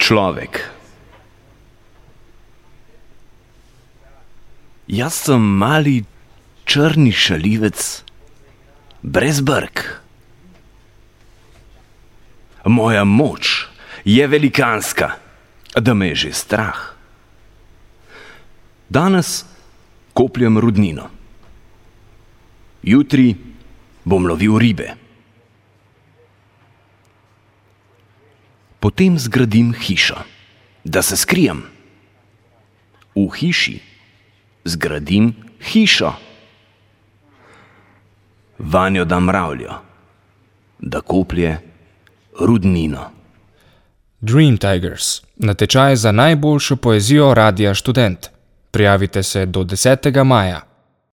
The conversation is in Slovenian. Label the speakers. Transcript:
Speaker 1: človek. Jaz sem mali črni šaljivec brez brk. Moja moč je velikanska, da me je že strah. Danes kopljem rudnino. Jutri bom lovil ribe. Potem zgradim hišo, da se skrijem. V hiši zgradim hišo. Vanjo dam mravljo, da koplje rudnino.
Speaker 2: Dream Tigers. Natečaj za najboljšo poezijo Radia Študent. Prijavite se do 10. maja.